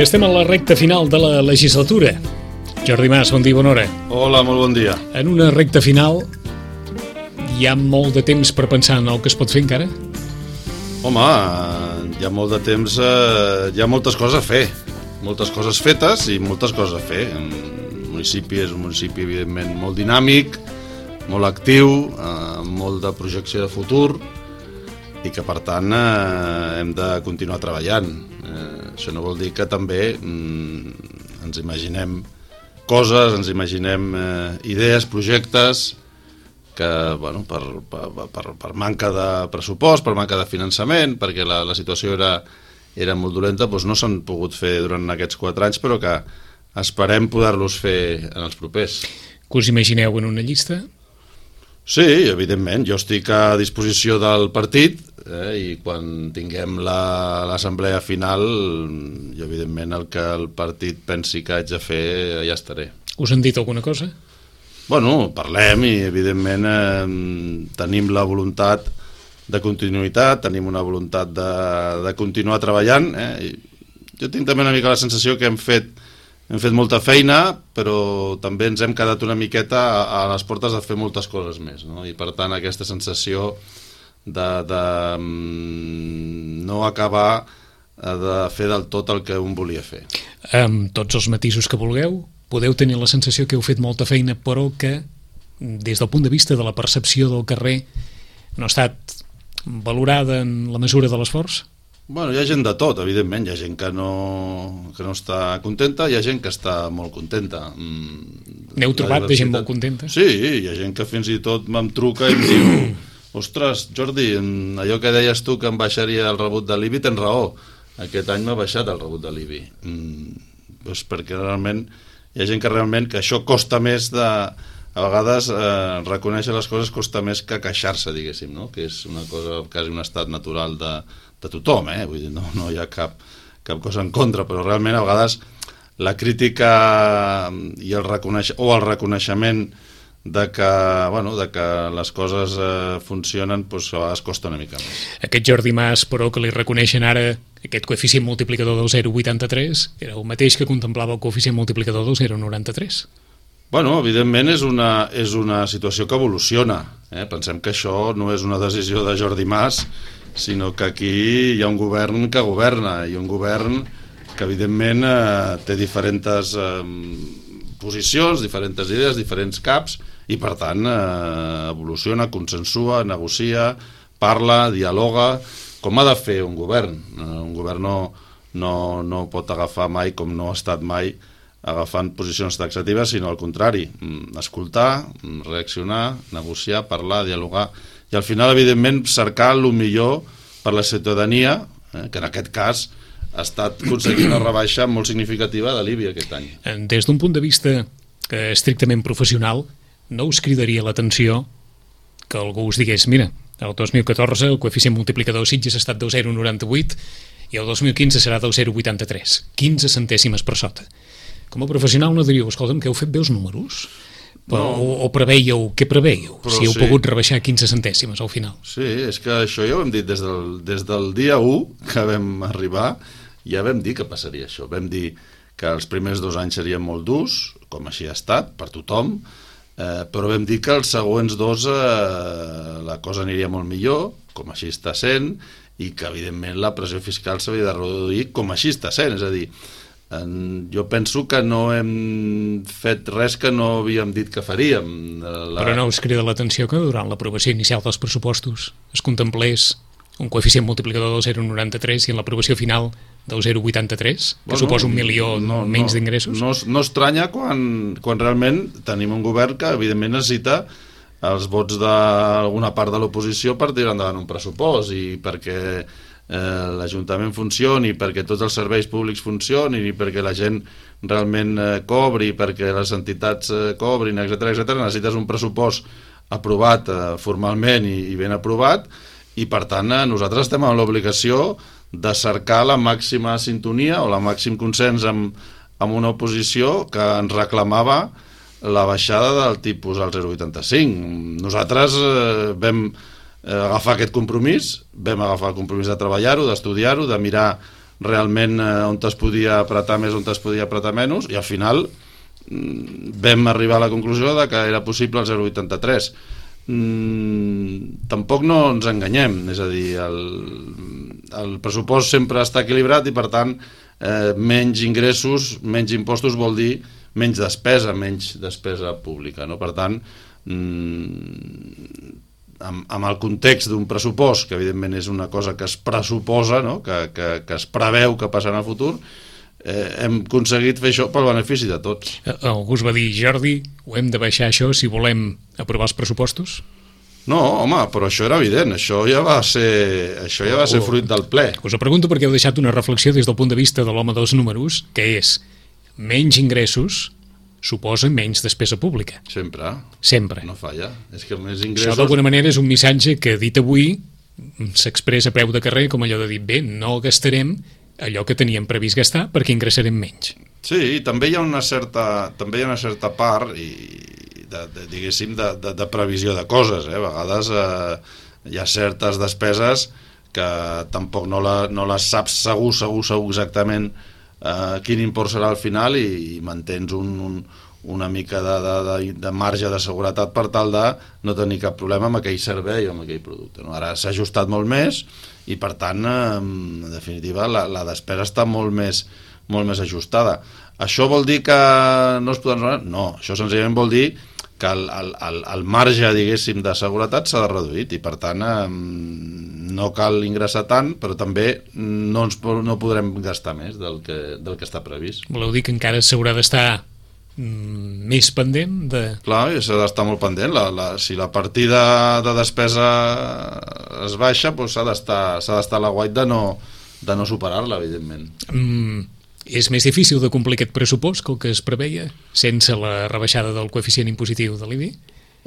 I estem a la recta final de la legislatura. Jordi Mas, bon dia, bona hora. Hola, molt bon dia. En una recta final hi ha molt de temps per pensar en el que es pot fer encara? Home, hi ha molt de temps, hi ha moltes coses a fer. Moltes coses fetes i moltes coses a fer. El municipi és un municipi, evidentment, molt dinàmic, molt actiu, amb molt de projecció de futur i que, per tant, hem de continuar treballant. Això no vol dir que també ens imaginem coses, ens imaginem idees, projectes que, bueno, per manca de pressupost, per manca de finançament, perquè la situació era molt dolenta, doncs no s'han pogut fer durant aquests 4 anys, però que esperem poder-los fer en els propers. Que us imagineu en una llista? Sí, evidentment, jo estic a disposició del partit i quan tinguem l'assemblea final, jo evidentment el que el partit pensi que haig de fer ja estaré. Us han dit alguna cosa? Bueno, parlem i evidentment tenim la voluntat de continuïtat, tenim una voluntat de continuar treballant. Jo tinc també una mica la sensació que hem fet molta feina, però també ens hem quedat una miqueta a les portes de fer moltes coses més, no? I per tant aquesta sensació de no acabar de fer del tot el que un volia fer. Amb tots els matisos que vulgueu, podeu tenir la sensació que heu fet molta feina, però que des del punt de vista de la percepció del carrer no ha estat valorada en la mesura de l'esforç? Bueno, hi ha gent de tot, evidentment. Hi ha gent que no està contenta, hi ha gent que està molt contenta. N'heu trobat de gent molt contenta? Sí, hi ha gent que fins i tot em truca i em diu: ostres, Jordi, allò que deies tu que em baixaria el rebut de l'IBI, tens raó. Aquest any m'ha baixat el rebut de l'IBI. Doncs perquè realment hi ha gent que realment que això costa més a vegades reconèixer les coses costa més que queixar-se, diguéssim, no? Que és una cosa, quasi un estat natural de tothom, vull dir, no hi ha cap cosa en contra, però realment a vegades la crítica i el reconeixement de que les coses funcionen, doncs a vegades costa una mica més. Aquest Jordi Mas, però, que li reconeixen ara aquest coeficient multiplicador del 0,83 era el mateix que contemplava el coeficient multiplicador del 0,93. Bueno, evidentment és una situació que evoluciona. Pensem que això no és una decisió de Jordi Mas, sinó que aquí hi ha un govern que governa i un govern que evidentment té diferents posicions, diferents idees, diferents caps i per tant evoluciona, consensua, negocia, parla, dialoga, com ha de fer un govern. Un govern no pot agafar mai, com no ha estat mai, agafant posicions taxatives, sinó al contrari, escoltar, reaccionar, negociar, parlar, dialogar i al final, evidentment, cercar el millor per la ciutadania, que en aquest cas ha estat aconseguint una rebaixa molt significativa de l'IBI aquest any. Des d'un punt de vista estrictament professional, no us cridaria l'atenció que algú us digués: mira, el 2014 el coeficient multiplicador Sitges ha estat del 0,98 i el 2015 serà del 0,83, 15 centèsimes per sota. Com a professional no diríeu: escolta'm, que heu fet bé els números? O preveieu, què preveieu? Si heu pogut rebaixar 15 centèsimes al final. Sí, és que això ja ho hem dit des del dia 1 que vam arribar, ja vam dir que passaria això. Vam dir que els primers 2 anys serien molt durs, com així ha estat, per tothom, però vam dir que els següents 2 la cosa aniria molt millor, com així està sent, i que evidentment la pressió fiscal s'havia de reduir, com així està sent. És a dir, jo penso que no hem fet res que no havíem dit que faríem. Però no us crida l'atenció que durant l'aprovació inicial dels pressupostos es contemplés un coeficient multiplicador del 0,93 i en l'aprovació final del 0,83, que suposa 1 milió menys d'ingressos? No estranya quan realment tenim un govern que evidentment necessita els vots d'alguna part de l'oposició per tirar endavant un pressupost i perquè l'Ajuntament funcioni, perquè tots els serveis públics funcionin i perquè la gent realment cobri, perquè les entitats cobrin, etc., necessites un pressupost aprovat formalment i ben aprovat i per tant nosaltres estem en l'obligació de cercar la màxima sintonia o el màxim consens amb una oposició que ens reclamava la baixada del tipus al 0,85. Nosaltres vam agafar aquest compromís, vam agafar el compromís de treballar-ho, d'estudiar-ho, de mirar realment on es podia apretar més, on es podia apretar menys, i al final vam arribar a la conclusió de que era possible el 0,83. Tampoc no ens enganyem, és a dir, el pressupost sempre està equilibrat i per tant menys ingressos, menys impostos vol dir menys despesa pública, no? Per tant, amb el context d'un pressupost, que evidentment és una cosa que es pressuposa, no? que es preveu que passarà en el futur, hem aconseguit fer això pel benefici de tots. Algú us va dir, Jordi, ho hem de baixar això si volem aprovar els pressupostos? No, home, però això era evident, això ja va ser fruit del ple. Us ho pregunto perquè heu deixat una reflexió des del punt de vista de l'home dels números, que és menys ingressos suposa menys despesa pública. Sempre. No falla. És que més ingressos... Això d'alguna manera és un missatge que dit avui s'expressa a peu de carrer com allò de dir, bé, no gastarem allò que teníem previst gastar perquè ingressarem menys. Sí, també hi ha una certa part diguéssim de previsió de coses, A vegades hi ha certes despeses que tampoc no les saps segur exactament quin import serà al final i mantens una mica de marge de seguretat per tal de no tenir cap problema amb aquell servei o amb aquell producte, no? Ara s'ha ajustat molt més i per tant en definitiva la despesa està molt més ajustada. Això vol dir que no es poden... No, això senzillament vol dir que el marge, diguéssim, de seguretat s'ha reduït i per tant no cal ingressar tant, però també no podrem gastar més del que està previst. Voleu dir que encara s'haurà d'estar més pendent de... Clar, s'ha d'estar molt pendent. Si la partida de despesa es baixa, doncs s'ha d'estar a l'aguait de no superar-la, evidentment. És més difícil de complir aquest pressupost que el que es preveia sense la rebaixada del coeficient impositiu de l'IBI?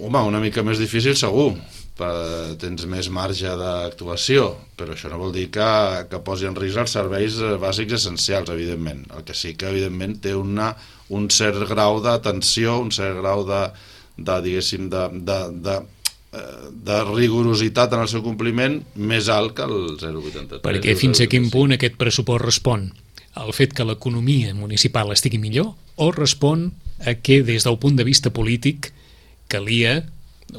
Home, una mica més difícil segur. Tens més marge d'actuació, però això no vol dir que posi en risc els serveis bàsics essencials, evidentment. El que sí que evidentment té un cert grau de tensió, un cert grau diguéssim, de rigorositat en el seu compliment més alt que el 0,83. Perquè fins a quin punt aquest pressupost respon al fet que l'economia municipal estigui millor o respon a que des del punt de vista polític calia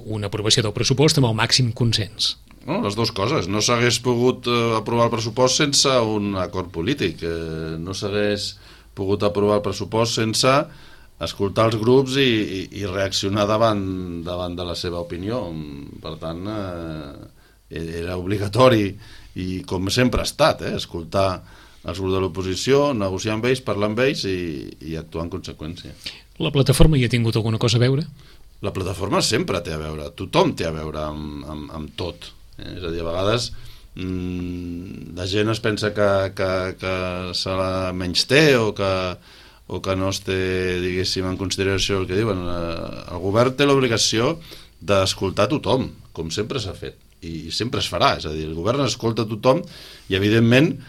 una aprovació del pressupost amb el màxim consens? No, les dues coses. No s'hagués pogut aprovar el pressupost sense un acord polític. No s'hagués pogut aprovar el pressupost sense escoltar els grups i reaccionar davant de la seva opinió. Per tant, era obligatori i com sempre ha estat, escoltar els grups de l'oposició, negociar amb ells, parlar amb ells i actuar en conseqüència. La plataforma hi ha tingut alguna cosa a veure? La plataforma sempre té a veure, tothom té a veure amb tot. És a dir, a vegades la gent es pensa que se la menysté o que no es té, diguéssim, en consideració el que diuen. El govern té l'obligació d'escoltar tothom, com sempre s'ha fet, i sempre es farà. És a dir, el govern escolta tothom i, evidentment,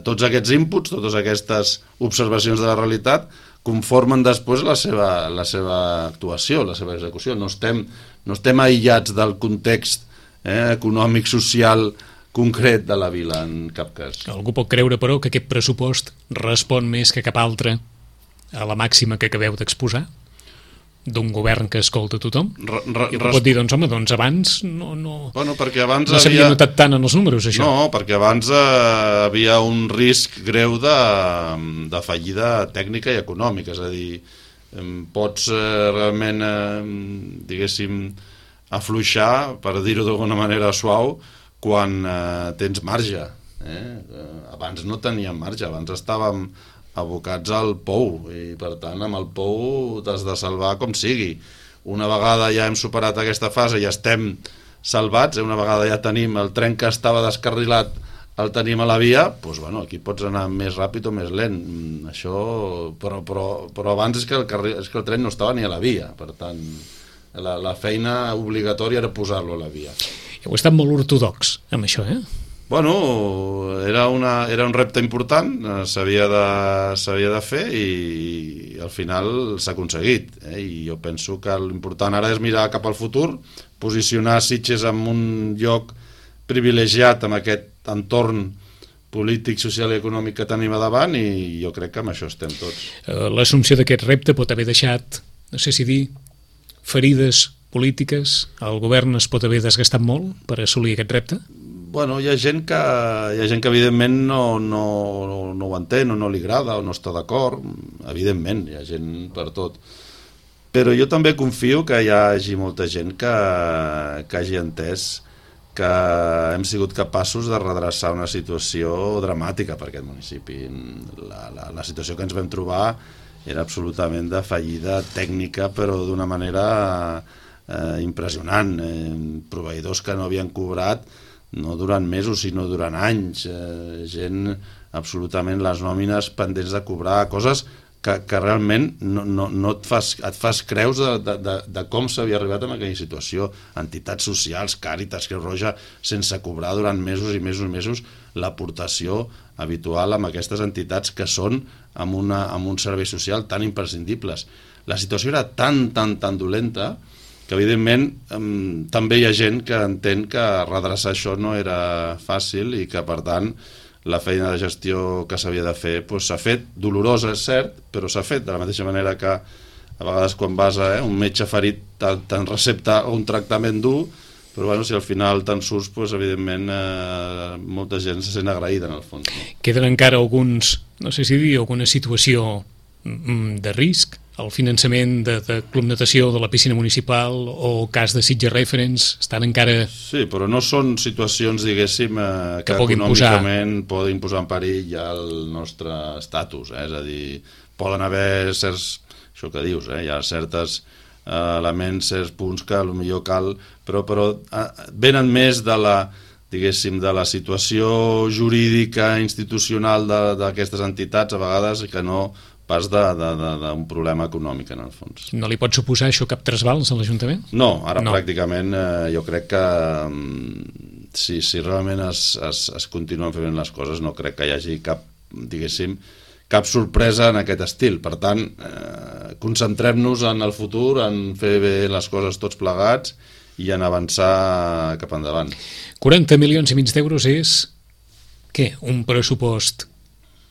tots aquests inputs, totes aquestes observacions de la realitat conformen després la seva actuació, la seva execució. No estem aïllats del context econòmic, social, concret de la vila, en cap cas. Algú pot creure, però, que aquest pressupost respon més que cap altre a la màxima que acabeu d'exposar? D'un govern que escolta tothom? I pot dir, doncs home, abans no s'havia notat tant en els números, això. No, perquè abans havia un risc greu de fallida tècnica i econòmica, és a dir, pots realment, diguéssim, afluixar, per dir-ho d'alguna manera suau, quan tens marge. Abans no teníem marge, abans estàvem abocats al pou i per tant amb el pou t'has de salvar com sigui. Una vegada ja hem superat aquesta fase i estem salvats, una vegada ja tenim el tren que estava descarrilat, el tenim a la via, doncs bueno, aquí pots anar més ràpid o més lent, això, però abans és que el tren no estava ni a la via, per tant la feina obligatòria era posar-lo a la via. Heu estat molt ortodox amb això, Bueno, era un repte important, s'havia de fer i al final s'ha aconseguit. I jo penso que l'important ara és mirar cap al futur, posicionar Sitges en un lloc privilegiat amb aquest entorn polític, social i econòmic que tenim a davant, i jo crec que amb això estem tots. L'assumpció d'aquest repte pot haver deixat, no sé si dir, ferides polítiques? El govern es pot haver desgastat molt per assolir aquest repte? Bueno, hi ha gent que evidentment no ho entén, o no li agrada, o no està d'acord. Evidentment, hi ha gent per tot. Però jo també confio que hi hagi molta gent que hagi entès que hem sigut capaços de redreçar una situació dramàtica per aquest municipi. La situació que ens vam trobar era absolutament de fallida tècnica, però d'una manera impressionant. Proveïdors que no havien cobrat no durant mesos, sinó durant anys. Gent absolutament, les nòmines pendents de cobrar, coses que realment no et fas creus de com s'havia arribat a aquella situació. Entitats socials, Càritas, Creu Roja, sense cobrar durant mesos i mesos l'aportació habitual amb aquestes entitats que són amb un servei social tan imprescindibles. La situació era tan dolenta que evidentment també hi ha gent que entén que redreçar això no era fàcil i que per tant la feina de gestió que s'havia de fer s'ha fet, dolorosa és cert, però s'ha fet de la mateixa manera que a vegades quan vas a un metge ferit te'n recepta un tractament dur, però bueno, si al final te'n surts, evidentment molta gent se sent agraïda en el fons. Queden encara no sé si dir, alguna situació de risc? El finançament de Club Natació de la piscina municipal o cas de Sitges Reference estan encara... Sí, però no són situacions, diguéssim, que econòmicament poden posar en perill ja el nostre estatus. És a dir, poden haver certs... Això que dius, hi ha certes elements, certs punts que potser cal... Però venen més de la, diguéssim, de la situació jurídica, institucional d'aquestes entitats, a vegades, que no pas d'un problema econòmic, en el fons. No li pot suposar això cap trasbals a l'Ajuntament? No, ara pràcticament jo crec que si realment es continuen fent les coses, no crec que hi hagi cap, diguéssim, cap sorpresa en aquest estil. Per tant, concentrem-nos en el futur, en fer bé les coses tots plegats i en avançar cap endavant. 40 milions i mig d'euros és, què, un pressupost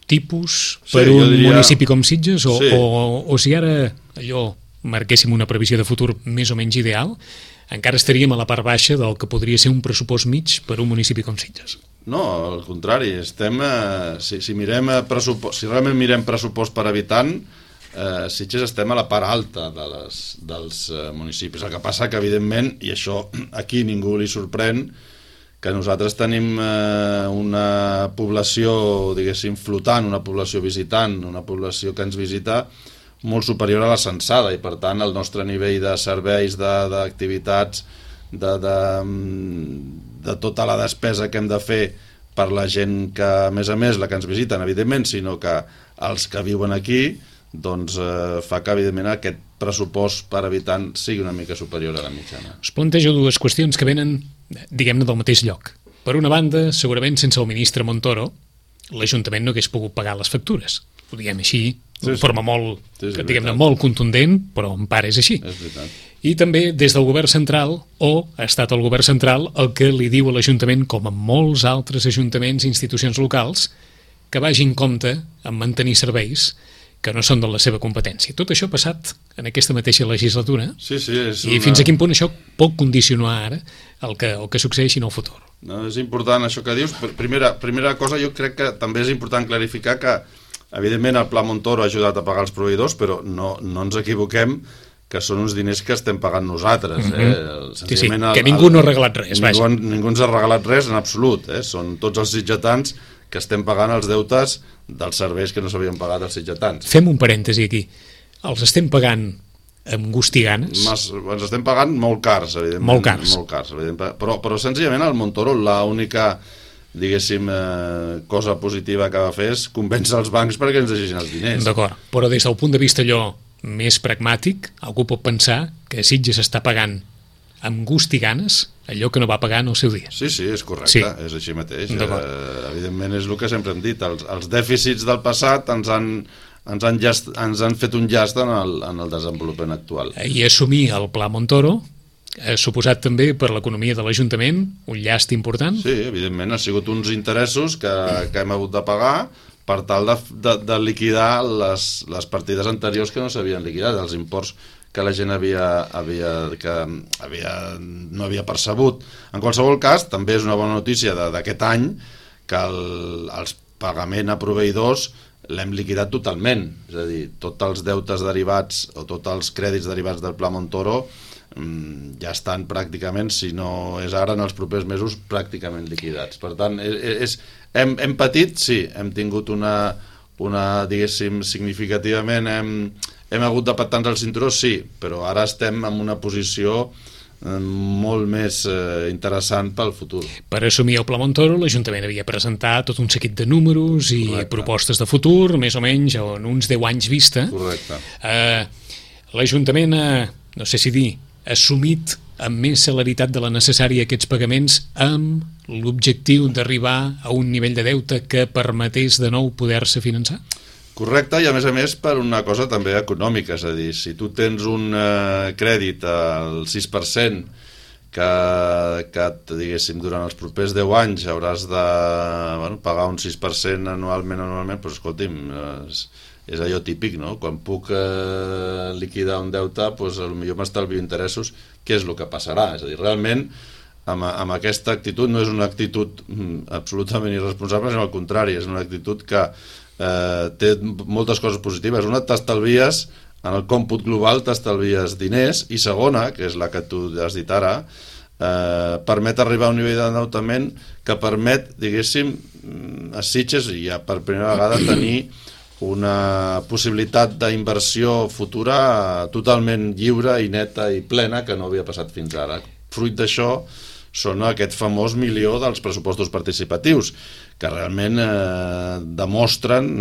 tipus per un municipi com Sitges o si ara allò marquéssim una previsió de futur més o menys ideal, encara estaríem a la part baixa del que podria ser un pressupost mig per un municipi com Sitges? No, al contrari, si realment mirem pressupost per habitant, Sitges estem a la part alta dels municipis. El que passa que evidentment, i això aquí ningú li sorprèn, que nosaltres tenim una població, diguéssim, flotant, una població visitant, una població que ens visita molt superior a la censada, i per tant el nostre nivell de serveis, d'activitats, de tota la despesa que hem de fer per la gent que, a més, la que ens visiten, evidentment, sinó que els que viuen aquí, doncs fa que, evidentment, aquest pressupost per habitant sigui una mica superior a la mitjana. Us plantejo dues qüestions que venen, diguem-ne, del mateix lloc. Per una banda, segurament sense el ministre Montoro, l'Ajuntament no hagués pogut pagar les factures. Ho diguem així, de forma molt, diguem-ne, molt contundent, però en part és així. És veritat. I també des del govern central, o ha estat el govern central el que li diu a l'Ajuntament, com a molts altres ajuntaments i institucions locals, que vagi en compte en mantenir serveis que no són de la seva competència. Tot això ha passat en aquesta mateixa legislatura. Sí, i fins a quin punt això pot condicionar ara el que succeeixi en el futur? No, és important això que dius. Primera cosa, jo crec que també és important clarificar que, evidentment, el Pla Montoro ha ajudat a pagar els proveïdors, però no ens equivoquem que són uns diners que estem pagant nosaltres. Sí, que ningú no ha regalat res. Ningú ens ha regalat res en absolut. Són tots els sitgetans que estem pagant els deutes dels serveis que no s'havien pagat als sitgetans. Fem un parèntesi aquí. Els estem pagant amb gust i ganes? Ens estem pagant molt cars, evidentment. Molt cars. Evidentment. Però senzillament el Montoro l'única, diguéssim, cosa positiva que va fer és convèncer els bancs perquè ens deixessin els diners. D'acord, però des del punt de vista allò més pragmàtic, algú pot pensar que Sitges està pagant amb gust i ganes allò que no va pagar en el seu dia. Sí, és correcte, és així mateix. Evidentment és el que sempre hem dit, els dèficits del passat ens han fet un llast en el desenvolupament actual. I assumir el Pla Montoro ha suposat també per l'economia de l'Ajuntament un llast important? Sí, evidentment, ha sigut uns interessos que hem hagut de pagar per tal de liquidar les partides anteriors que no s'havien liquidat, els imports que la gent no havia percebut. En qualsevol cas, també és una bona notícia d'aquest any que els pagaments a proveïdors l'hem liquidat totalment, és a dir, tots els deutes derivats o tots els crèdits derivats del Pla Montoro ja estan pràcticament, si no és ara, en els propers mesos, pràcticament liquidats. Per tant, hem patit, sí, hem tingut una diguéssim, significativament hem hagut de patar-nos el cinturó, sí, però ara estem en una posició molt més interessant pel futur. Per assumir el Pla Montoro, l'Ajuntament havia presentat tot un seguit de números i propostes de futur, més o menys en uns 10 anys vista. Correcte. L'Ajuntament no sé si dir, ha assumit amb més celeritat de la necessària aquests pagaments amb l'objectiu d'arribar a un nivell de deute que permetés de nou poder-se finançar? Correcte, i a més per una cosa també econòmica, és a dir, si tu tens un crèdit al 6% que diguéssim, durant els propers 10 anys hauràs de pagar un 6% anualment, doncs escolti'm, és allò típic, no? Quan puc liquidar un deute, doncs potser m'estalvio interessos, què és el que passarà? És a dir, realment, amb aquesta actitud no és una actitud absolutament irresponsable, sinó al contrari, és una actitud que té moltes coses positives. Una, t'estalvies, en el còmput global t'estalvies diners, i segona, que és la que tu has dit ara, permet arribar a un nivell d'endeutament que permet, diguéssim, a Sitges, i ja per primera vegada, tenir una possibilitat d'inversió futura totalment lliure i neta i plena que no havia passat fins ara. Fruit d'això són aquest famós milió dels pressupostos participatius, que realment demostren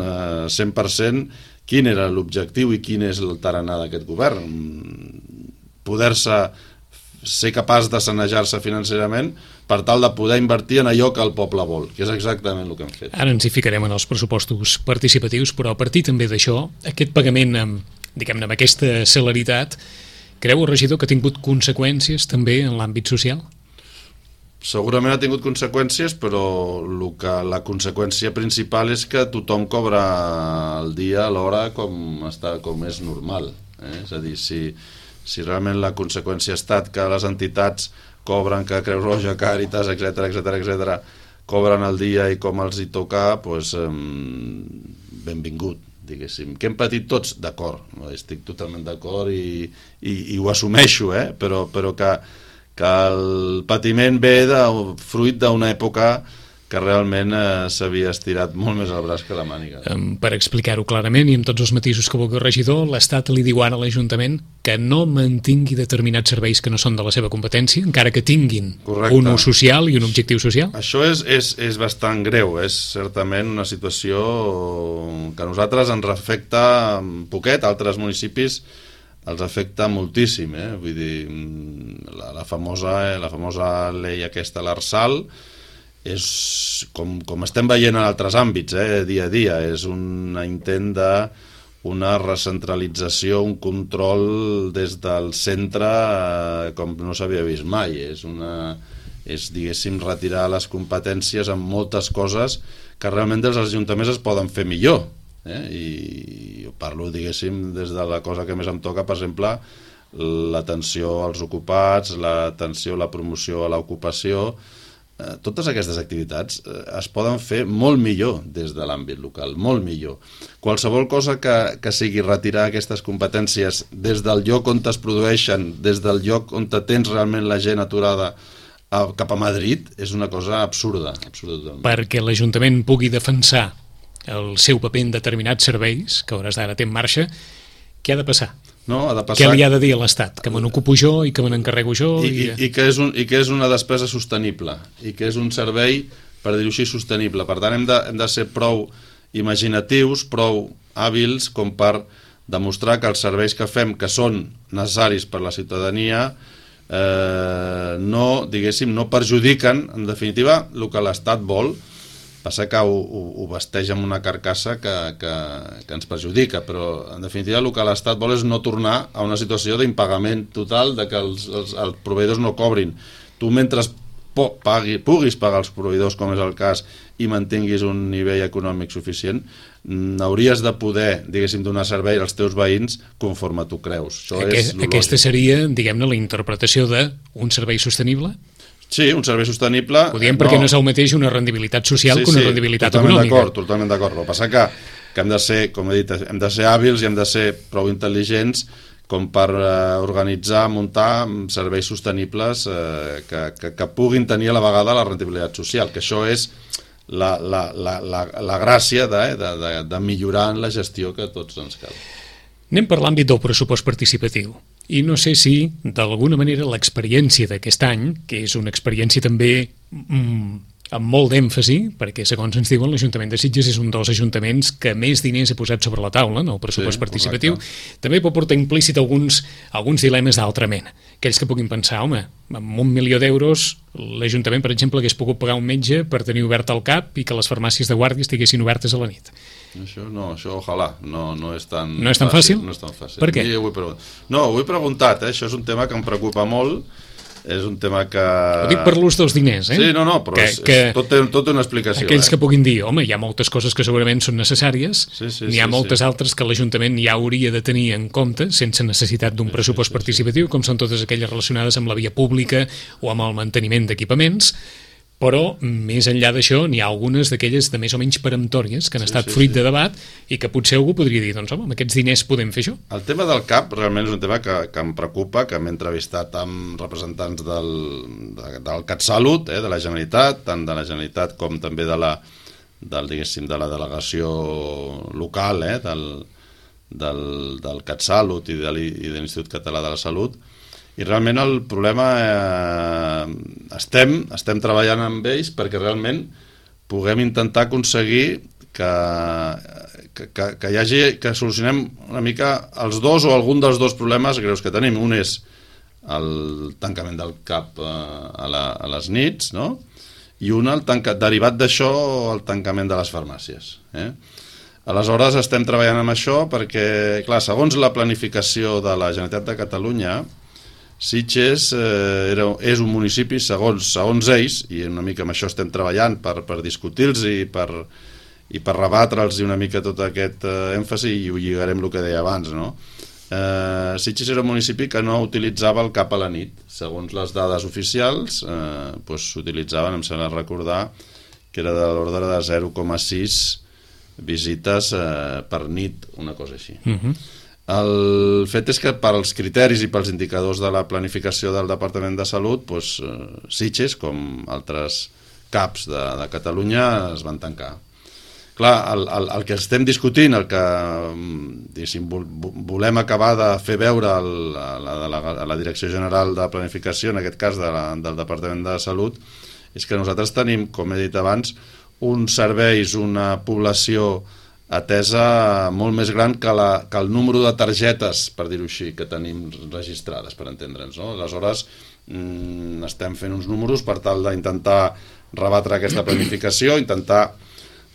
100% quin era l'objectiu i quin és el tarannà d'aquest govern. Poder-se ser capaç de sanejar-se financerament per tal de poder invertir en allò que el poble vol, que és exactament el que hem fet. Ara ens hi ficarem en els pressupostos participatius, però a partir també d'això, aquest pagament, diguem-ne, amb aquesta celeritat, creu el regidor que ha tingut conseqüències també en l'àmbit social? Segurament ha tingut conseqüències, però la conseqüència principal és que tothom cobra el dia a l'hora com és normal. És a dir, si realment la conseqüència ha estat que les entitats cobren, que Creu Roja, Càritas, etc., cobren el dia i com els hi toca, doncs benvingut, diguéssim. Que hem patit tots? D'acord, estic totalment d'acord i ho assumeixo, però que el patiment ve fruit d'una època que realment s'havia estirat molt més al braç que la màniga. Per explicar-ho clarament i amb tots els matisos que vulgui el regidor, l'Estat li diu ara a l'Ajuntament que no mantingui determinats serveis que no són de la seva competència, encara que tinguin un ús social i un objectiu social? Això és bastant greu, és certament una situació que a nosaltres ens afecta poquet, a altres municipis els afecta moltíssim, vull dir, la famosa llei aquesta, l'Arsal, és com estem veient en altres àmbits, dia a dia, és un intent d'una recentralització, un control des del centre com no s'havia vist mai, és diguéssim retirar les competències en moltes coses que realment dels ajuntaments es poden fer millor. I parlo, diguéssim, des de la cosa que més em toca, per exemple, l'atenció als ocupats, l'atenció a la promoció a l'ocupació. Totes aquestes activitats es poden fer molt millor des de l'àmbit local, molt millor. Qualsevol cosa que sigui retirar aquestes competències des del lloc on es produeixen, des del lloc on tens realment la gent aturada cap a Madrid, és una cosa absurda. Perquè l'Ajuntament pugui defensar el seu paper en determinats serveis, que a hores d'ara té en marxa, què ha de passar? No, ha de passar... Què li ha de dir a l'Estat? Que me n'ocupo jo i que me n'encarrego jo? I que és una despesa sostenible, i que és un servei, per dir-ho així, sostenible. Per tant, hem de ser prou imaginatius, prou hàbils, com per demostrar que els serveis que fem, que són necessaris per la ciutadania, no perjudiquen, en definitiva, el que l'Estat vol, Passa que ho vesteix amb una carcassa que ens perjudica, però en definitiva el que l'Estat vol és no tornar a una situació d'impagament total, de que els proveïdors no cobrin. Tu mentre puguis pagar els proveïdors, com és el cas, i mantinguis un nivell econòmic suficient, hauries de poder, diguéssim, donar servei als teus veïns conforme tu creus. Aquesta seria, diguem-ne, la interpretació d'un servei sostenible? Sí, un servei sostenible... Ho diem perquè no és el mateix una rendibilitat social que una rendibilitat econòmica. Totalment d'acord. El que passa que hem de ser, com he dit, hem de ser hàbils i hem de ser prou intel·ligents com per organitzar, muntar serveis sostenibles que puguin tenir a la vegada la rendibilitat social, que això és la gràcia de millorar en la gestió que tots ens cal. Anem per l'àmbit del pressupost participatiu. I no sé si, d'alguna manera, l'experiència d'aquest any, que és una experiència també amb molt d'èmfasi, perquè, segons ens diuen, l'Ajuntament de Sitges és un dels ajuntaments que més diners ha posat sobre la taula en el pressupost participatiu, també pot portar implícit alguns dilemes d'altra mena. Aquells que puguin pensar, home, amb 1 milió d'euros, l'Ajuntament, per exemple, hagués pogut pagar un metge per tenir obert el CAP i que les farmàcies de guàrdia estiguessin obertes a la nit. Això ojalà, no és tan fàcil. No és tan fàcil? No és tan fàcil. Per què? Ho he preguntat, això és un tema que em preocupa molt, és un tema que... Ho dic per l'ús dels diners, Sí, però tot té una explicació. Aquells que puguin dir, home, hi ha moltes coses que segurament són necessàries, n'hi ha moltes altres que l'Ajuntament ja hauria de tenir en compte, sense necessitat d'un pressupost participatiu, com són totes aquelles relacionades amb la via pública o amb el manteniment d'equipaments, però més enllà d'això n'hi ha algunes d'aquelles de més o menys peremptòries que han estat fruit de debat i que potser algú podria dir, doncs home, amb aquests diners podem fer això. El tema del CAP realment és un tema que em preocupa, que m'he entrevistat amb representants del CatSalut, de la Generalitat, tant de la Generalitat com també de la delegació local del CatSalut i de l'Institut Català de la Salut. I realment el problema estem treballant amb ells perquè realment puguem intentar aconseguir que solucionem una mica els dos o algun dels dos problemes greus que tenim. Un és el tancament del CAP a les nits, no? I un, derivat d'això, el tancament de les farmàcies. Aleshores estem treballant amb això perquè, clar, segons la planificació de la Generalitat de Catalunya, Sitges és un municipi, segons ells, i una mica amb això estem treballant per discutir-los i per rebatre'ls una mica tot aquest èmfasi, i ho lligarem el que deia abans, no? Sitges era un municipi que no utilitzava el CAP a la nit. Segons les dades oficials, s'utilitzaven, em sembla recordar, que era de l'ordre de 0,6 visites per nit, una cosa així. El fet és que per als criteris i pels indicadors de la planificació del Departament de Salut, Sitges, com altres CAPs de Catalunya, es van tancar. Clar, el que estem discutint, el que volem acabar de fer veure a la Direcció General de Planificació, en aquest cas del Departament de Salut, és que nosaltres tenim, com he dit abans, uns serveis, una població atesa molt més gran que el número de targetes, per dir-ho així, que tenim registrades, per entendre'ns, no? Aleshores, estem fent uns números per tal d'intentar rebatre aquesta planificació, intentar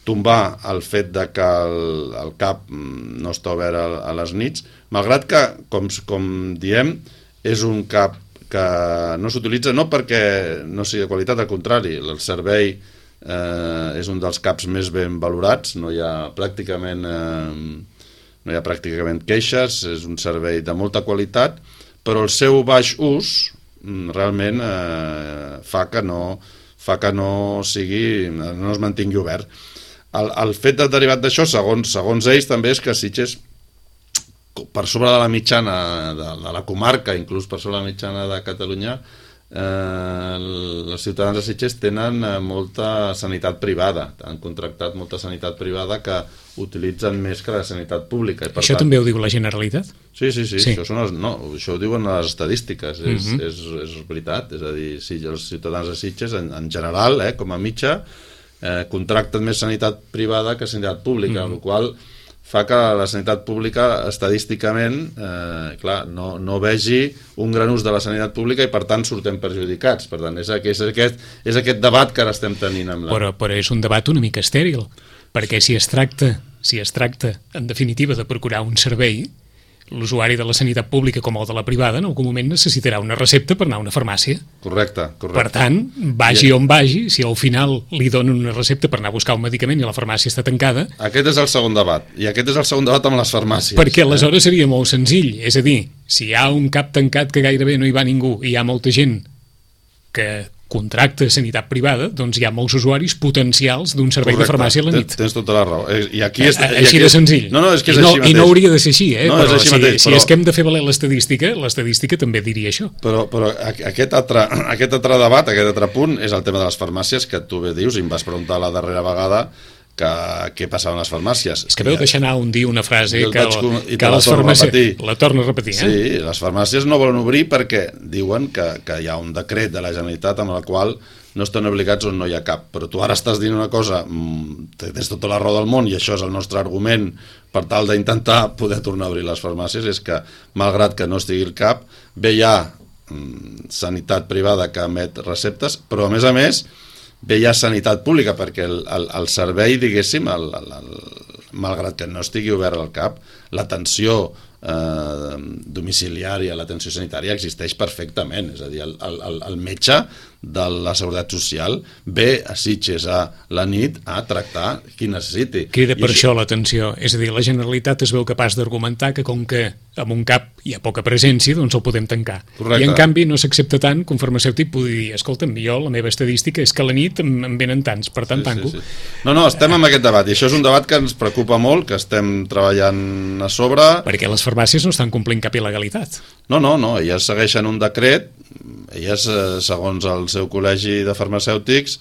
tombar el fet de que el CAP no està obert a les nits, malgrat que, com diem, és un CAP que no s'utilitza no perquè no sigui de qualitat, al contrari, el servei és un dels CAPs més ben valorats, no hi ha pràcticament queixes, és un servei de molta qualitat, però el seu baix ús realment fa que no es mantingui obert. El fet derivat d'això, segons ells, també és que Sitges, per sobre de la mitjana de la comarca, inclús per sobre de la mitjana de Catalunya, els ciutadans de Sitges tenen molta sanitat privada, han contractat molta sanitat privada que utilitzen més que la sanitat pública. Això també ho diu la Generalitat? Sí. Això ho diuen les estadístiques, és veritat, és a dir, els ciutadans de Sitges en general, com a mitja, contracten més sanitat privada que sanitat pública, amb la qual fa que la sanitat pública estadísticament no vegi un gran ús de la sanitat pública i per tant surten perjudicats. Per tant, és aquest debat que ara estem tenint amb però és un debat una mica estèril, perquè si es tracta en definitiva de procurar un servei, l'usuari de la sanitat pública com el de la privada en algun moment necessitarà una recepta per anar a una farmàcia. Correcte. Per tant, vagi on vagi, si al final li donen una recepta per anar a buscar un medicament i la farmàcia està tancada... Aquest és el segon debat, i aquest és el segon debat amb les farmàcies. Perquè aleshores seria molt senzill, és a dir, si hi ha un cap tancat que gairebé no hi va ningú i hi ha molta gent que contracta sanitat privada, doncs hi ha molts usuaris potencials d'un servei de farmàcia a la nit. Tens tota la raó. Així de senzill. És que és així mateix. I no hauria de ser així, però si és que hem de fer valer l'estadística també diria això. Però aquest altre debat, aquest altre punt, és el tema de les farmàcies, que tu bé dius, i em vas preguntar la darrera vegada què passava a les farmàcies. És que veu deixar anar un dia una frase que les farmàcies... La torno a repetir, Sí, les farmàcies no volen obrir perquè diuen que hi ha un decret de la Generalitat amb el qual no estan obligats on no hi ha cap. Però tu ara estàs dient una cosa, tens tota la raó del món, i això és el nostre argument per tal d'intentar poder tornar a obrir les farmàcies, és que, malgrat que no estigui el cap, bé hi ha sanitat privada que emet receptes, però a més bé hi ha sanitat pública, perquè el servei, diguéssim, malgrat que no estigui obert al cap, l'atenció domiciliària, l'atenció sanitària existeix perfectament. És a dir, el metge de la Seguretat Social ve a Sitges a la nit a tractar qui necessiti. Crida per això l'atenció. És a dir, la Generalitat es veu capaç d'argumentar que com que amb un cap hi ha poca presència, doncs el podem tancar. Correcte. I en canvi no s'accepta tant que un farmacèutic pugui dir, escolta'm, jo la meva estadística és que a la nit em venen tants, per tant tanco. Sí. No, estem amb aquest debat, i això és un debat que ens preocupa molt, que estem treballant a sobre. Perquè les farmàcies no estan complint cap il·legalitat. No, elles segueixen un decret, elles, segons el seu col·legi de farmacèutics,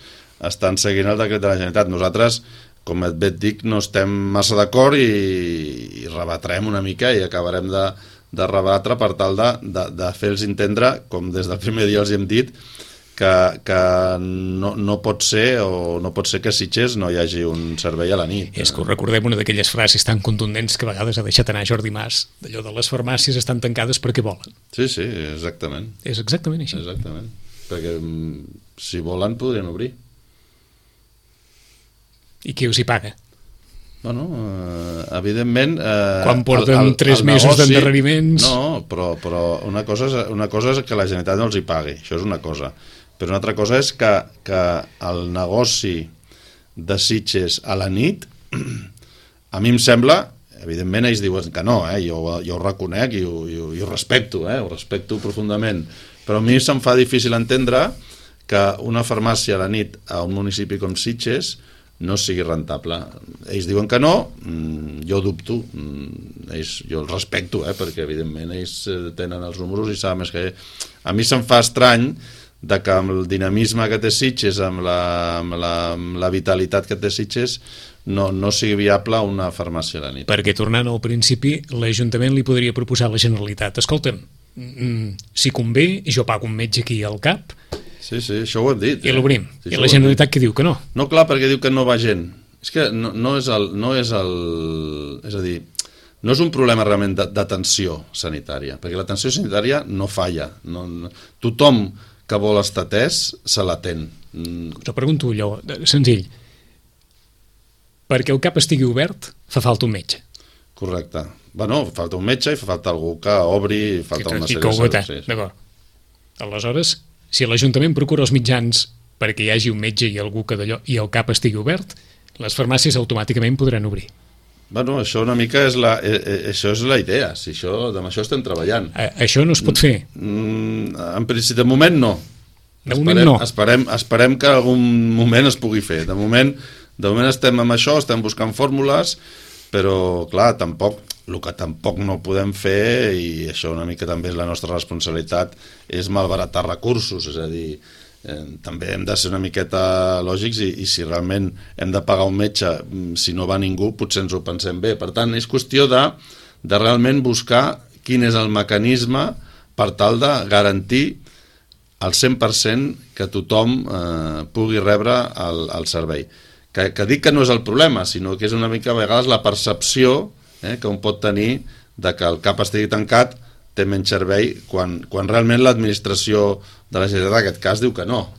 estan seguint el decret de la Generalitat. Nosaltres, com et dic, no estem massa d'acord i rebatrem una mica i acabarem de rebatre per tal de fer-los entendre, com des del primer dia els hem dit, que no pot ser que a Sitges no hi hagi un servei a la nit. És que us recordem una d'aquelles frases tan contundents que a vegades ha deixat anar Jordi Mas, d'allò de les farmàcies estan tancades perquè volen. Sí, exactament. És exactament així. Exactament. Perquè si volen podrien obrir. I qui us hi paga? Bueno, evidentment... Quan porten 3 mesos d'endarreriments... No, però una cosa és que la Generalitat no els hi pagui, això és una cosa. Però una altra cosa és que el negoci de Sitges a la nit, a mi em sembla, evidentment ells diuen que no, jo ho reconec i ho respecto, ho respecto profundament, però a mi se'm fa difícil entendre que una farmàcia a la nit a un municipi com Sitges no sigui rentable. Ells diuen que no, jo dubto, jo els respecto, perquè evidentment ells tenen els números i saben més que... A mi se'm fa estrany que amb el dinamisme que té Sitges, amb la vitalitat que té Sitges, no sigui viable una farmàcia a la nit. Perquè, tornant al principi, l'Ajuntament li podria proposar a la Generalitat, escolta'm, si convé, jo pago un metge aquí al cap, sí, això ho hem dit. I l'obrim. I la Generalitat que diu que no. No, clar, perquè diu que no va gent. És que no és és a dir, no és un problema realment d'atenció sanitària, perquè l'atenció sanitària no falla. Tothom que vol estar atès se l'atén. Us pregunto allò, senzill. Perquè el cap estigui obert, fa falta un metge. Correcte. Bueno, falta un metge i fa falta algú que obri, falta una sèrie de coses. D'acord. Aleshores, si l'Ajuntament procura els mitjans perquè hi hagi un metge i algú que d'allò i el cap estigui obert, les farmàcies automàticament podran obrir. Bueno, això una mica això és la idea, amb això estem treballant. Això no es pot fer? En principi, de moment no. De moment no. Esperem que algun moment es pugui fer. De moment estem amb això, estem buscant fórmules, però clar, el que tampoc no podem fer, i això una mica també és la nostra responsabilitat, és malbaratar recursos, és a dir, també hem de ser una miqueta lògics i si realment hem de pagar un metge, si no va ningú, potser ens ho pensem bé. Per tant, és qüestió de realment buscar quin és el mecanisme per tal de garantir al 100% que tothom pugui rebre el servei. que dic que no és el problema, sinó que és una mica a vegades la percepció que un pot tenir de que el CAP estigui tancat té menys servei quan realment l'administració de la Generalitat en aquest cas diu que no.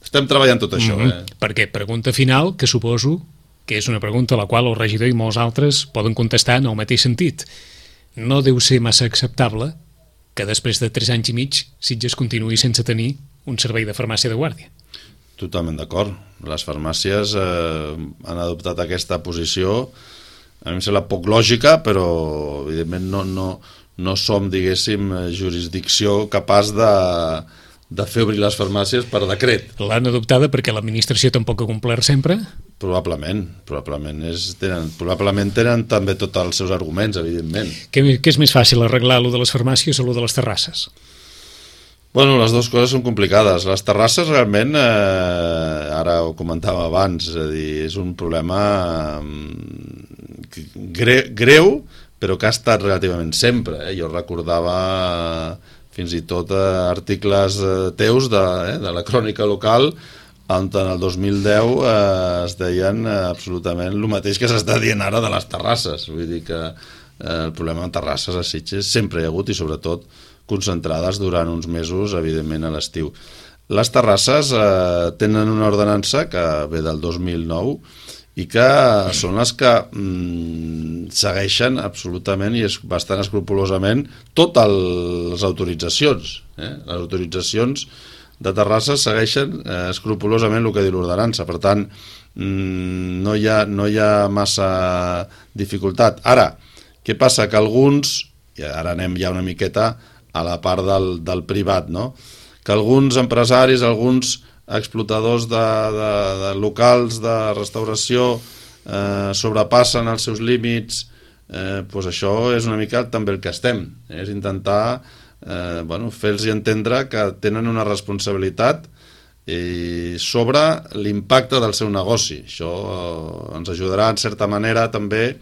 Estem treballant tot això. Perquè pregunta final, que suposo que és una pregunta a la qual el regidor i molts altres poden contestar en el mateix sentit. No deu ser massa acceptable que després de 3 anys i mig Sitges continuï sense tenir un servei de farmàcia de guàrdia. Totalment d'acord. Les farmàcies han adoptat aquesta posició. A mi em sembla poc lògica, però evidentment no som, diguéssim, jurisdicció capaç de fer obrir les farmàcies per decret. L'han adoptada perquè l'administració tampoc ha complert sempre? Probablement tenen també tots els seus arguments, evidentment. Què és més fàcil, arreglar lo de les farmàcies o lo de les terrasses? Bueno, les dues coses són complicades. Les terrasses realment, ara ho comentava abans, és a dir, és un problema greu, però que ha estat relativament sempre. Jo recordava fins i tot articles teus de la crònica local on en el 2010 es deien absolutament el mateix que s'està dient ara de les terrasses. Vull dir que el problema de terrasses a Sitges sempre hi ha hagut i sobretot concentrades durant uns mesos, evidentment a l'estiu. Les terrasses tenen una ordenança que ve del 2009 i que són les que segueixen absolutament i bastant escrupolosament totes les autoritzacions. Les autoritzacions de terrasses segueixen escrupolosament el que diu l'ordenança. Per tant, no hi ha massa dificultat. Ara, què passa? Que alguns, i ara anem ja una miqueta a la part del privat, no? Que alguns empresaris, alguns explotadors de locals de restauració sobrepassen els seus límits, doncs això és una mica també el que estem, és intentar fer-los entendre que tenen una responsabilitat sobre l'impacte del seu negoci. Això ens ajudarà en certa manera també,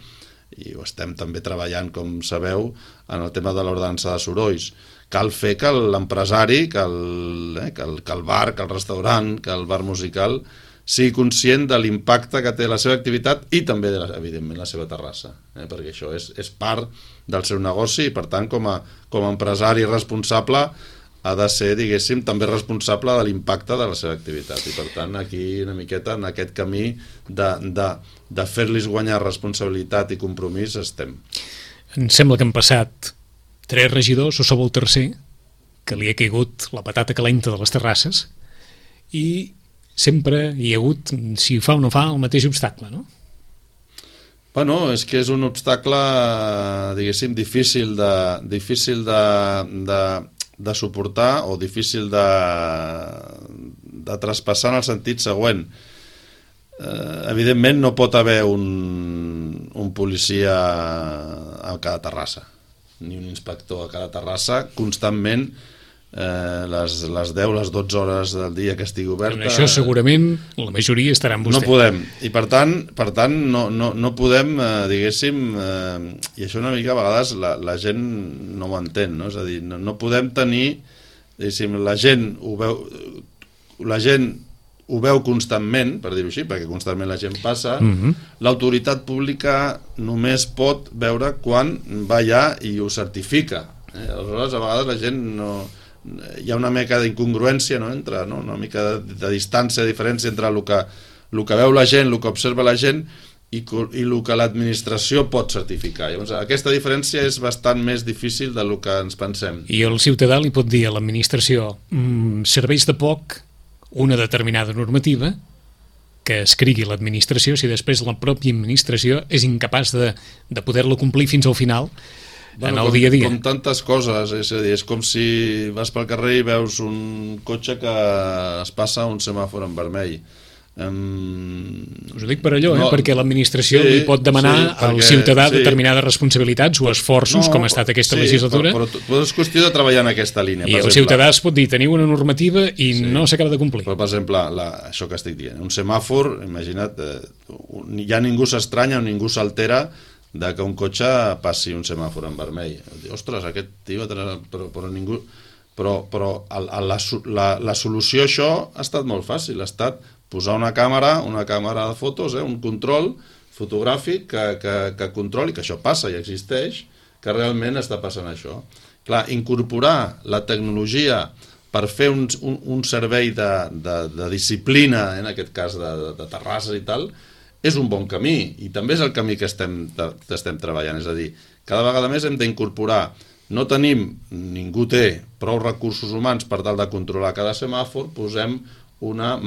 i ho estem també treballant, com sabeu, en el tema de l'ordenança de sorolls. Cal fer que l'empresari, que el bar, que el restaurant, que el bar musical sigui conscient de l'impacte que té la seva activitat i també, evidentment, la seva terrassa, perquè això és part del seu negoci i, per tant, com a empresari responsable ha de ser, diguéssim, també responsable de l'impacte de la seva activitat. I, per tant, aquí una miqueta en aquest camí de fer-los guanyar responsabilitat i compromís estem. Em sembla que han passat 3 regidors, o sou el tercer, que li ha caigut la patata calenta de les terrasses i sempre hi ha hagut, si fa o no fa, el mateix obstacle, no? Bueno, és que és un obstacle, diguéssim, difícil de suportar o difícil de traspassar en el sentit següent. Evidentment no pot haver un policia a cada terrassa ni un inspector a cada terrassa constantment les 10, les 12 hores del dia que estigui oberta. En això segurament la majoria estarà amb vostè. No podem, i per tant no podem, diguéssim, i això una mica a vegades la gent no ho entén, no? És a dir, no podem tenir, diguéssim, la gent ho veu constantment, per dir-ho així, perquè constantment la gent passa, l'autoritat pública només pot veure quan va allà i ho certifica. Aleshores, a vegades la gent hi ha una mica d'incongruència, no? Entre una mica de distància, diferència entre el que veu la gent, el que observa la gent i el que l'administració pot certificar. Llavors, aquesta diferència és bastant més difícil del que ens pensem. I el ciutadà li pot dir a l'administració serveis de poc una determinada normativa que escrigui l'administració si després la pròpia administració és incapaç de poder-la complir fins al final en el dia a dia. Com tantes coses, és a dir, és com si vas pel carrer i veus un cotxe que es passa un semàfor en vermell. Us ho dic per allò, perquè l'administració li pot demanar al ciutadà determinades responsabilitats o esforços, com ha estat aquesta legislatura. Però és qüestió de treballar en aquesta línia. I el ciutadà es pot dir, teniu una normativa i no s'acaba de complir. Però, per exemple, això que estic dient, un semàfor, imagina't, ja ningú s'estranya o ningú s'altera de que un cotxe passi un semàfor en vermell. Ostres, aquest tio... Però ningú... Però la solució a això ha estat molt fàcil, ha estat posar una càmera de fotos, un control fotogràfic que controli, que això passa i existeix, que realment està passant això. Clar, incorporar la tecnologia per fer un servei de disciplina, en aquest cas de terrasses i tal, és un bon camí, i també és el camí que estem treballant. És a dir, cada vegada més hem d'incorporar. No tenim, ningú té prou recursos humans per tal de controlar cada semàfor, posem una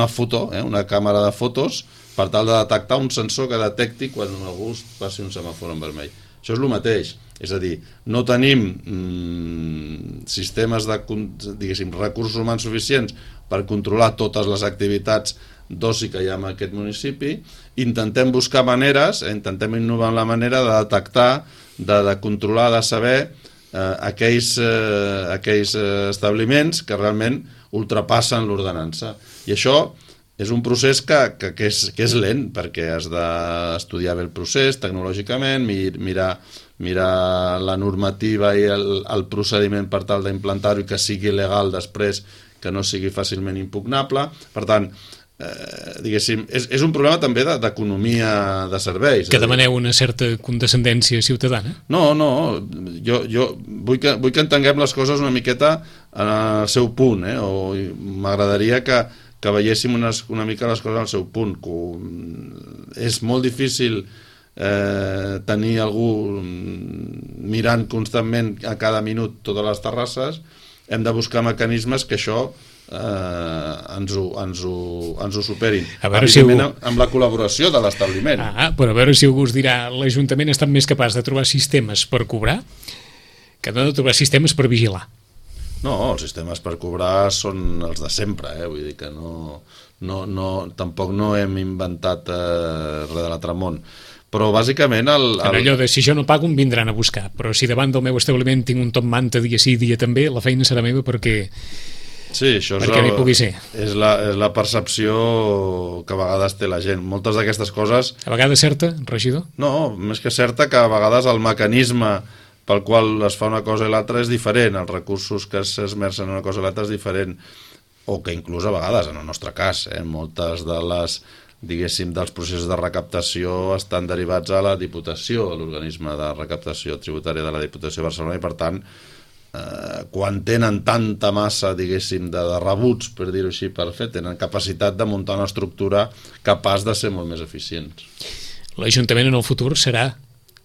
foto, una càmera de fotos, per tal de detectar un sensor que detecti quan algú passi un semàfor en vermell. Això és el mateix, és a dir, no tenim sistemes diguéssim, recursos humans suficients per controlar totes les activitats d'oci que hi ha en aquest municipi, intentem buscar maneres, intentem innovar en la manera de detectar, de controlar, de saber aquells establiments que realment ultrapassen l'ordenança. I això és un procés que és lent, perquè has d'estudiar bé el procés tecnològicament, mirar la normativa i el procediment per tal d'implantar-ho i que sigui legal després, que no sigui fàcilment impugnable. Per tant, diguéssim, és un problema també d'economia de serveis. Que demaneu una certa condescendència ciutadana? No, jo vull que entenguem les coses una miqueta en el seu punt, o m'agradaria que veiéssim una mica les coses al seu punt. És molt difícil tenir algú mirant constantment a cada minut totes les terrasses. Hem de buscar mecanismes que això ens ho superin. Evidentment, amb la col·laboració de l'establiment. Però a veure si algú us dirà, l'Ajuntament ha estat més capaç de trobar sistemes per cobrar que no de trobar sistemes per vigilar. No, els sistemes per cobrar són els de sempre, vull dir que tampoc no hem inventat res de l'altre món. Però bàsicament allò de si jo no pago em vindran a buscar, però si davant del meu establiment tinc un top manta dia sí, dia també, la feina serà meva perquè n'hi pugui ser. És la percepció que a vegades té la gent. Moltes d'aquestes coses... A vegades certa, regidor? No, més que certa, que a vegades el mecanisme pel qual es fa una cosa i l'altra és diferent, els recursos que s'esmercen en una cosa i l'altra és diferent, o que inclús a vegades, en el nostre cas, moltes de les, diguéssim, dels processos de recaptació estan derivats a la Diputació, a l'organisme de recaptació tributària de la Diputació de Barcelona, i per tant, quan tenen tanta massa, diguéssim, de rebuts, per dir-ho així, per fer, tenen capacitat de muntar una estructura capaç de ser molt més eficients. L'Ajuntament en el futur serà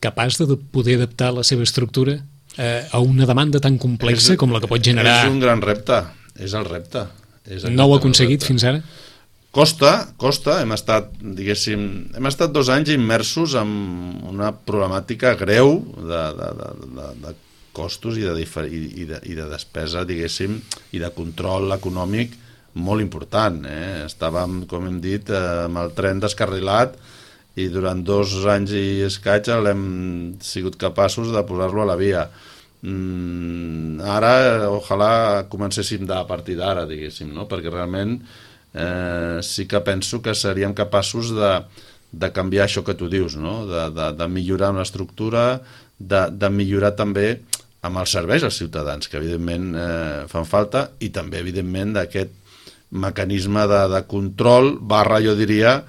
capaç de poder adaptar la seva estructura a una demanda tan complexa com la que pot generar... És un gran repte, és el repte. No ho ha aconseguit fins ara? Costa, hem estat 2 anys immersos en una problemàtica greu de costos i de despesa, diguéssim, i de control econòmic molt important. Estàvem, com hem dit, amb el tren descarrilat i durant 2 anys i escaig l'hem sigut capaços de posar-lo a la via. Ara, ojalà comencéssim a partir d'ara, diguéssim, no? Perquè realment sí que penso que seríem capaços de canviar això que tu dius, no? De millorar una estructura, de millorar també amb els serveis als ciutadans, que evidentment fan falta, i també, evidentment, d'aquest mecanisme de control / jo diria,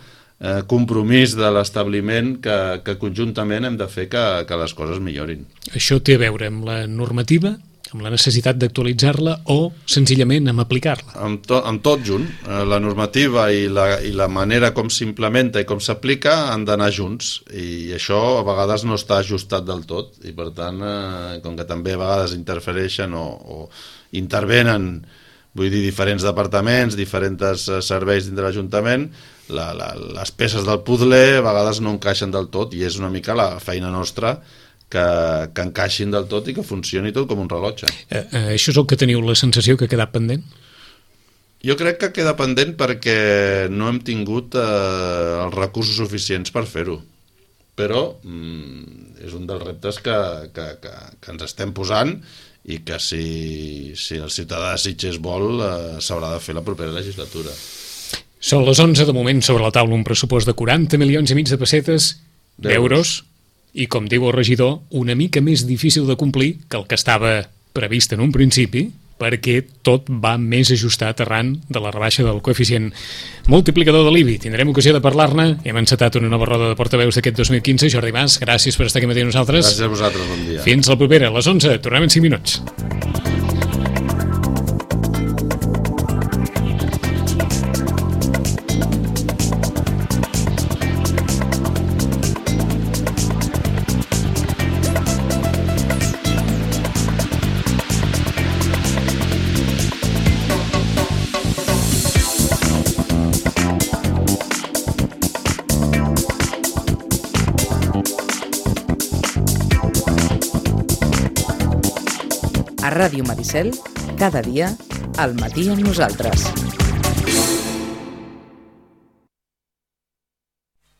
compromís de l'establiment que conjuntament hem de fer que les coses millorin. Això té a veure amb la normativa, amb la necessitat d'actualitzar-la o senzillament amb aplicar-la? Amb tot junt. La normativa i la manera com s'implementa i com s'aplica han d'anar junts, i això a vegades no està ajustat del tot, i per tant, com que també a vegades interfereixen o intervenen, vull dir, diferents departaments, diferents serveis dins de l'Ajuntament, les peces del puzzle a vegades no encaixen del tot, i és una mica la feina nostra que encaixin del tot i que funcioni tot com un rellotge. Això és el que teniu la sensació que ha quedat pendent? Jo crec que queda pendent perquè no hem tingut els recursos suficients per fer-ho. Però és un dels reptes que ens estem posant, i que si el ciutadà de Sitges vol s'haurà de fer la propera legislatura. Són les 11, de moment sobre la taula un pressupost de 40,5 milions de pessetes, d'euros, i com diu el regidor, una mica més difícil de complir que el que estava previst en un principi, perquè tot va més ajustat arran de la rebaixa del coeficient multiplicador de l'IBI. Tindrem ocasió de parlar-ne. Hem encetat una nova roda de portaveus d'aquest 2015. Jordi Mas, gràcies per estar aquí matí amb nosaltres. Gràcies a vosaltres, bon dia. Fins la propera, a les 11. Tornem en 5 minuts. A Ràdio Maricel, cada dia, al matí amb nosaltres.